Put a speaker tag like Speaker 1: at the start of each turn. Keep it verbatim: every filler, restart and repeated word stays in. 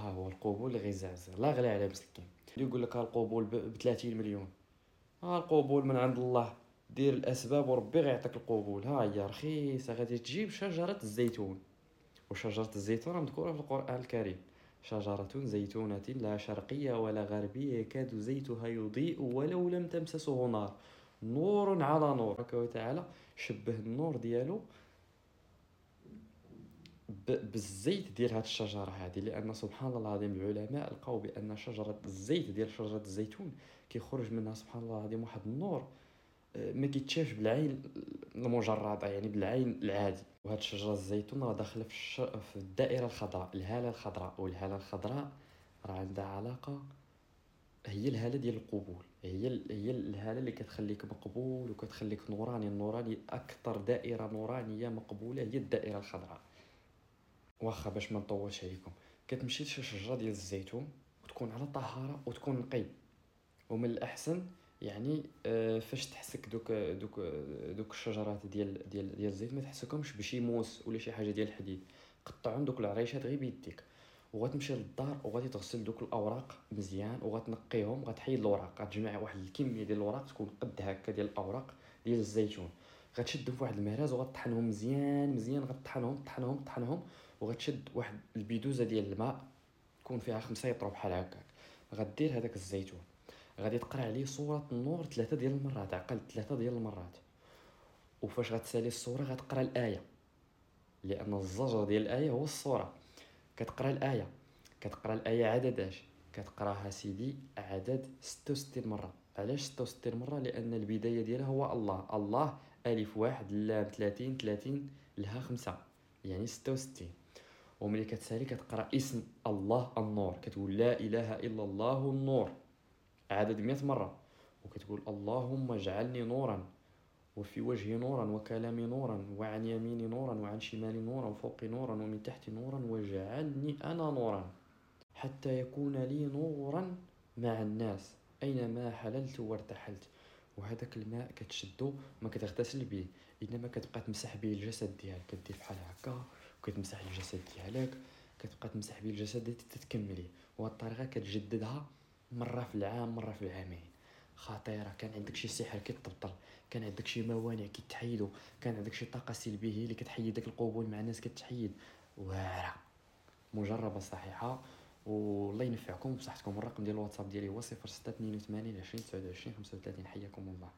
Speaker 1: ها هو القبول اللي غيزعزع لا غلا على مسكين. يقول لك القبول ب ثلاثين مليون، ها القبول من عند الله، دير الاسباب وربي غيعطيك القبول. ها هي رخيصة، غادي تجيب شجرة الزيتون، وشجره الزيتون مذكورة في القران الكريم، شجرة زيتونه لا شرقية ولا غربية يكاد زيتها يضيء ولو لم تمسسه نار، نور على نور. تبارك وتعالى شبه النور ديالو بالزيت ديال هاد الشجرة هذه، لان سبحان الله العظيم العلماء لقاو بان شجرة الزيت ديال شجرة الزيتون كيخرج منها سبحان الله العظيم واحد النور ما كيتشافش بالعين المجردة، يعني بالعين العادي. وهاد شجرة الزيتون راه داخله في, الش... في الدائرة الخضراء، الهالة الخضراء، والهاله الخضراء راه عندها علاقة، هي الهالة ديال القبول، هي ال... هي الهالة اللي كتخليك مقبول وكتخليك نوراني. النوراني اكثر دائرة نورانيه مقبولة هي الدائرة الخضراء. واخا باش ما نطولش عليكم، كتمشي لشي شجرة ديال الزيتون وتكون على طهارة وتكون نقي، ومن الاحسن يعني آه، فاش تحسك دوك دوك دوك الشجرات ديال ديال ديال الزيت ما تحسكهمش بشي موس ولا شي حاجة ديال الحديد، قطعهم دوك العريشات غير بيديك، وغتمشي للدار وغادي تغسل دوك الاوراق مزيان وغتنقيهم، غتحيد الاوراق، غتجمع واحد الكمية ديال الاوراق تكون قد هكا ديال الاوراق ديال الزيتون، غتشدهم في واحد المهراز وغطحنهم مزيان مزيان، غطحنهم طحنهم طحنهم، وغتشد واحد البيدوزه ديال الماء تكون فيها خمسة يطرو بحال هكاك، غدير هذاك الزيتون غادي تقرا عليه سورة النور ثلاثة ديال المرات، عقل ثلاثة ديال المرات، وفاش غتسالي السورة غتقرا الايه، لان الزجر ديال الايه هو السورة. كتقرا الايه، كتقرا الايه عدد اش كتقراها سيدي؟ عدد ستة وستين مرة. علاش ستة وستين مرة؟ لان البداية ديالها هو الله، الله الف واحد لام ثلاثين ثلاثين لها خمسة، يعني ستة وستين. وملي كتسالي كتقرا اسم الله النور، كتقول لا اله الا الله النور عدد مئة مرة، وكتقول اللهم اجعلني نورا وفي وجهي نورا وكلامي نورا وعن يميني نورا وعن شمالي نورا وفوقي نورا ومن تحتي نورا واجعلني انا نورا حتى يكون لي نورا مع الناس اينما حللت وارتحلت. وهذاك الماء كتشدو ما كتغتسل به، انما كتبقى تمسح به الجسد ديالك، كدير بحال هكا وكتمسح الجسد ديالك، كتبقى تمسح به الجسد ديالك تتكمليه. وهاد الطريقة كتجددها مرة في العام مرة في العامين. خطيرة. كان عندك شي سحر كيتبطل، كان عندك شي موانع كيتحيدوا، كان عندك شي طاقة سلبية اللي كتحيد داك القبول مع الناس كتحيد. واعرة مجربه صحيحه، والله ينفعكم بصحتكم. الرقم ديال الواتساب ديالي هو صفر ستة اثنين وثمانين عشرين تسعة وعشرين خمسة وثلاثين. حياكم الله.